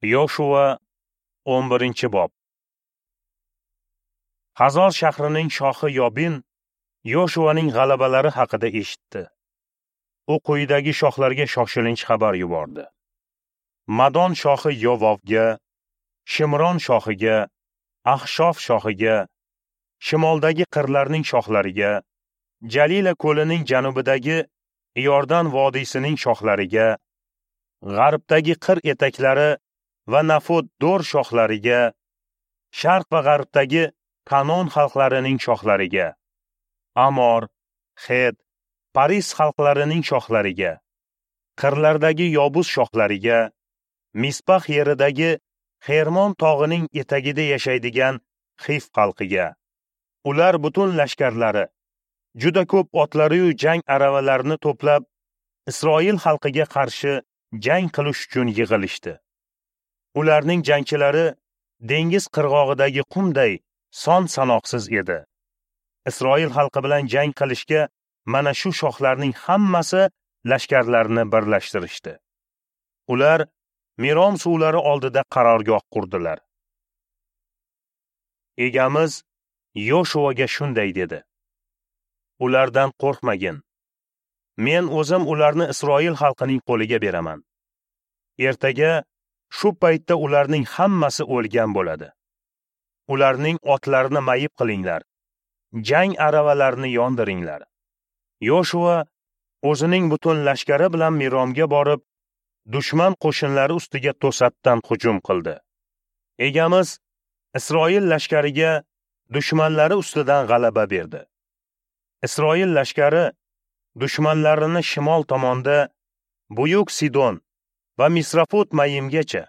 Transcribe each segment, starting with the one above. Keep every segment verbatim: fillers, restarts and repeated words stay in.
Yoshua o'n birinchi bob. Hazor shahrining shohi Yobin Yoshuaning g'alabalari haqida eshitdi. U quyidagi shohlarga shoshilinch xabar yubordi. Madon shohi Yovovga, Shimron shohiga, Ahshof shohiga, shimoldagi qirlarning shohlariga, Jalila ko'lining janubidagi Iordan vodiysining shohlariga, g'arbdagi qir etaklari va Nafot Dor shohlariga, sharq va g'arbdagi Kanon xalqlarining shohlariga, Amor, Het, Paris xalqlarining shohlariga, qirlardagi Yobus shohlariga, Mispax yeridagi Xermon tog'ining etagida yashaydigan Xif xalqiga. Ular butun lashkarlari, juda ko'p otlari-yu jang aravalarini to'plab, Isroil xalqiga qarshi jang qilish uchun yig'ilishdi. Ularning jangchilari dengiz qirg'og'idagi qumday son sanoqsiz edi. Isroil xalqi bilan jang qilishga mana shu shohlarning hammasi lashkarlarini birlashtirishdi. Ular Mirom suvlari oldida qarorgoh qurdilar. Egamiz Yoshuaga shunday dedi: Ulardan qo'rqmagin. Men o'zim ularni Isroil xalqining qo'liga beraman. Ertaga shu paytda ularning hammasi o'lgan bo'ladi. Ularning otlarini mayib qilinglar. Jang aravalarini yondiringlar. Yoshua o'zining butun lashkari bilan Miromga borib, dushman qo'shinlari ustiga to'satdan hujum qildi. Egamiz Isroil lashkariga dushmanlari ustidan g'alaba berdi. Isroil lashkari dushmanlarini shimol tomonda Buyuk Sidon va Misrafot Mayimgacha,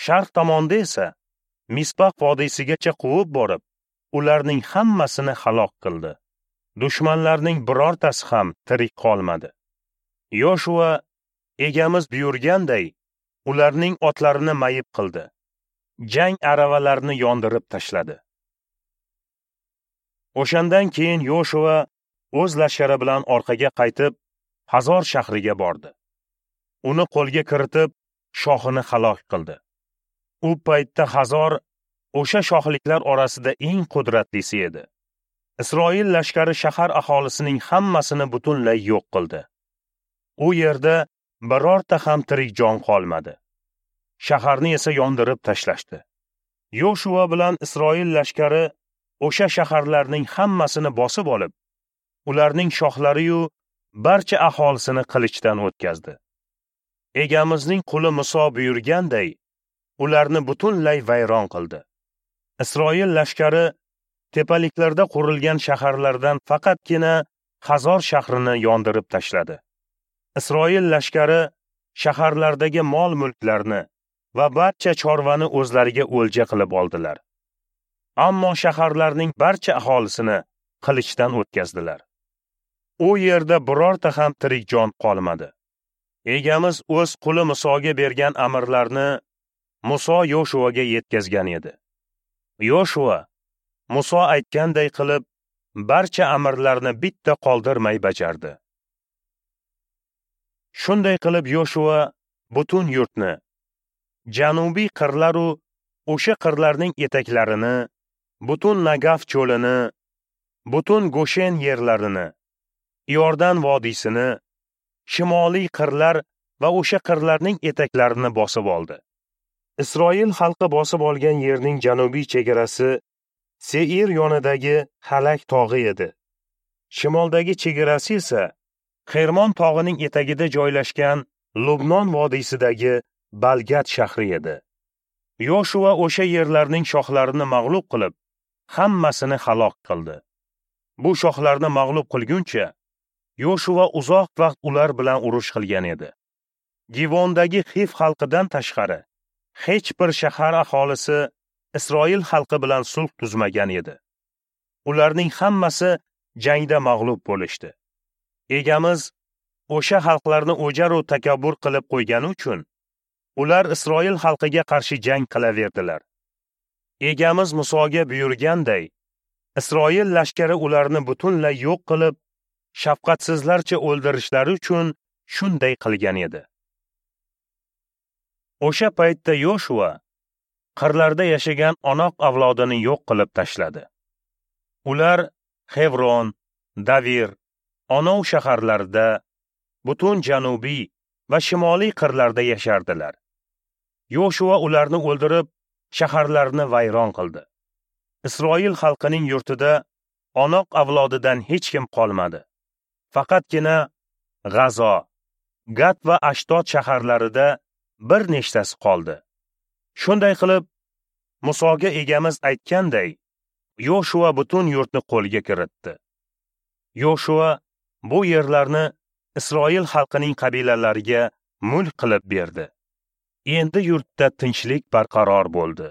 sharq tomonda esa Mispax vodiysigacha quvib borib, ularning hammasini halok qildi. Dushmanlarning birortasi ham tirik qolmadi. Yoshua egamiz buyurganday ularning otlarini mayib qildi. Jang aravalarini yondirib tashladi. O'shandan keyin Yoshua o'z lashkari bilan orqaga qaytib, Hazor shahriga bordi. Uni qo'lga kiritib, shohini halok qildi. U paytda Hazor o'sha shohliklar orasida eng qudratlisi edi. Isroil lashkari shahar aholisining hammasini butunlay yo'q qildi. U yerda birorta ham tirik jon qolmadi. Shaharni esa yondirib tashlashdi. Yoshua bilan Isroil lashkari o'sha shaharlarning hammasini bosib olib, ularning shohlari-yu barcha aholisini qilichdan o'tkazdi. Egamizning quli Muso buyurganday, ularni butunlay vayron qildi. Isroil lashkari tepaliklarda qurilgan shaharlardan faqatgina Hazor shahrini yondirib tashladi. Isroil lashkari shaharlardagi mol-mulklarni va barcha chorvani o'zlariga o'lja qilib oldilar. Ammo shaharlarning barcha aholisini qilichdan o'tkazdilar. U yerda birorta ham tirik jon qolmadi. Egamiz o'z quli Musoga bergan amrlarni Muso Yoshuaga yetkazgan edi. Yoshua Muso aytganday qilib barcha amrlarni bitta qoldirmay bajardi. Shunday qilib Yoshua butun yurtni, janubiy qirlar-u o'sha qirlarning etaklarini, butun Nagaf cho'lini, butun Goshen yerlarini, Iordan vodiysini, shimoliy qirlar va o'sha qirlarning etaklarini bosib oldi. Isroil xalqi bosib olgan yerning janubiy chegarasi Seir yonidagi Halak tog'i edi. Shimoldagi chegarasi esa Xermon tog'ining etagida joylashgan Lubnon vodiysidagi Balgat shahri edi. Yoshua o'sha yerlarning shohlarini mag'lub qilib, hammasini halok qildi. Bu shohlarni mag'lub qilguncha Yoshua uzoq vaqt ular bilan urush qilgan edi. Givondagi Xif xalqidan tashqari hech bir shahar aholisi Isroil xalqi bilan sulh tuzmagan edi. Ularning hammasi jangda mag'lub bo'lishdi. Egamiz o'sha xalqlarni o'jar-u takabbur qilib qo'ygani uchun ular Isroil xalqiga qarshi jang qilaverdilar. Egamiz Musoga buyurganday, Isroil lashkari ularni butunlay yo'q qilib, shafqatsizlarcha o'ldirishlari uchun shunday qilgan edi. O'sha paytda Yoshua qirlarda yashagan Onoq avlodini yo'q qilib tashladi. Ular Xevron, Davir, Onov shaharlarida, butun janubiy va shimoliy qirlarda yashardilar. Yoshua ularni o'ldirib, shaharlarni vayron qildi. Isroil xalqining yurtida Onoq avlodidan hech kim qolmadi. Faqatgina G'azo, Gat va Ashdod shaharlarida bir nechtasi qoldi. Shunday qilib, Musoga egamiz aytganday, Yoshua butun yurtni qo'lga kiritdi. Yoshua bu yerlarni Isroil xalqining qabilalariga mulk qilib berdi. Endi yurtda tinchlik barqaror bo'ldi.